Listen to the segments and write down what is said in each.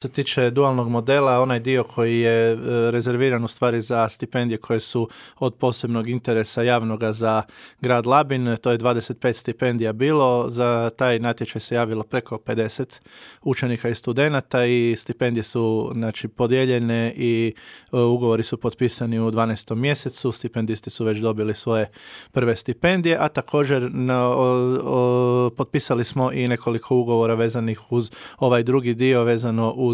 Što se tiče dualnog modela, onaj dio koji je rezerviran u stvari za stipendije koje su od posebnog interesa javnoga za grad Labin, to je 25 stipendija bilo, za taj natječaj se javilo preko 50 učenika i studenata i stipendije su podijeljene i ugovori su potpisani u 12. mjesecu, stipendisti su već dobili svoje prve stipendije, a također potpisali smo i nekoliko ugovora vezanih uz ovaj drugi dio, vezano uz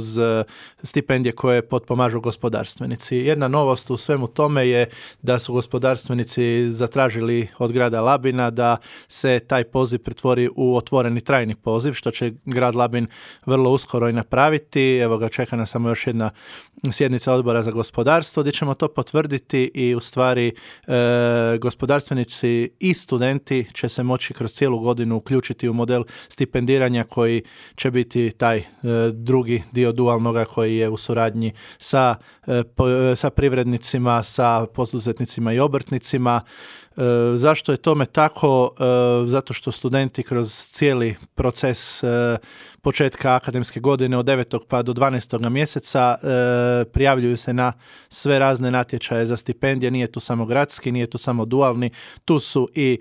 stipendije koje potpomažu gospodarstvenici. Jedna novost u svemu tome je da su gospodarstvenici zatražili od grada Labina da se taj poziv pretvori u otvoreni trajni poziv, što će grad Labin vrlo uskoro i napraviti. Evo ga, čeka nas samo još jedna sjednica odbora za gospodarstvo gdje ćemo to potvrditi i u stvari gospodarstvenici i studenti će se moći kroz cijelu godinu uključiti u model stipendiranja koji će biti taj drugi dio dualnoga koji je u suradnji sa privrednicima, sa poduzetnicima i obrtnicima. Zašto je tome tako? Zato što studenti kroz cijeli proces početka akademske godine od 9. pa do 12. mjeseca prijavljuju se na sve razne natječaje za stipendije. Nije tu samo gradski, nije tu samo dualni, tu su i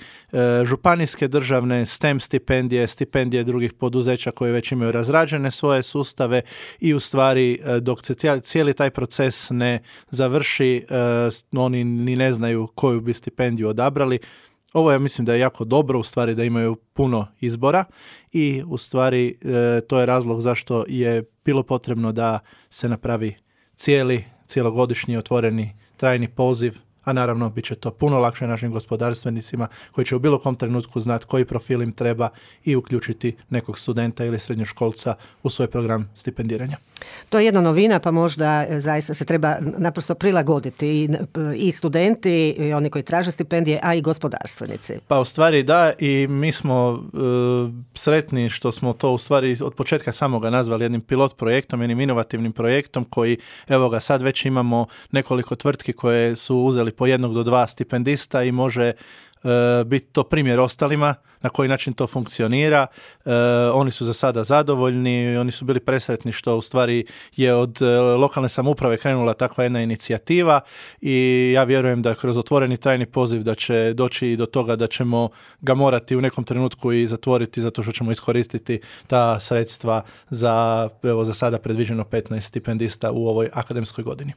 županijske državne, STEM stipendije, stipendije drugih poduzeća koje već imaju razrađene svoje sustave i u stvari dok se cijeli taj proces ne završi, oni ni ne znaju koju bi stipendiju odabrali. Ovo ja mislim da je jako dobro, u stvari da imaju puno izbora i u stvari to je razlog zašto je bilo potrebno da se napravi cijelogodišnji otvoreni trajni poziv, a naravno bit će to puno lakše našim gospodarstvenicima koji će u bilo kom trenutku znati koji profil im treba i uključiti nekog studenta ili srednjoškolca u svoj program stipendiranja. To je jedna novina, pa možda zaista se treba naprosto prilagoditi i studenti, i oni koji traže stipendije, a i gospodarstvenici. Pa u stvari da, i mi smo sretni što smo to u stvari od početka samoga nazvali jednim pilot projektom, jednim inovativnim projektom koji, evo ga, sad već imamo nekoliko tvrtki koje su uzeli po 1 do 2 stipendista i može biti to primjer ostalima na koji način to funkcionira. Oni su za sada zadovoljni, oni su bili presretni što u stvari je od lokalne samouprave krenula takva jedna inicijativa i ja vjerujem da kroz otvoreni trajni poziv da će doći i do toga da ćemo ga morati u nekom trenutku i zatvoriti zato što ćemo iskoristiti ta sredstva za sada predviđeno 15 stipendista u ovoj akademskoj godini.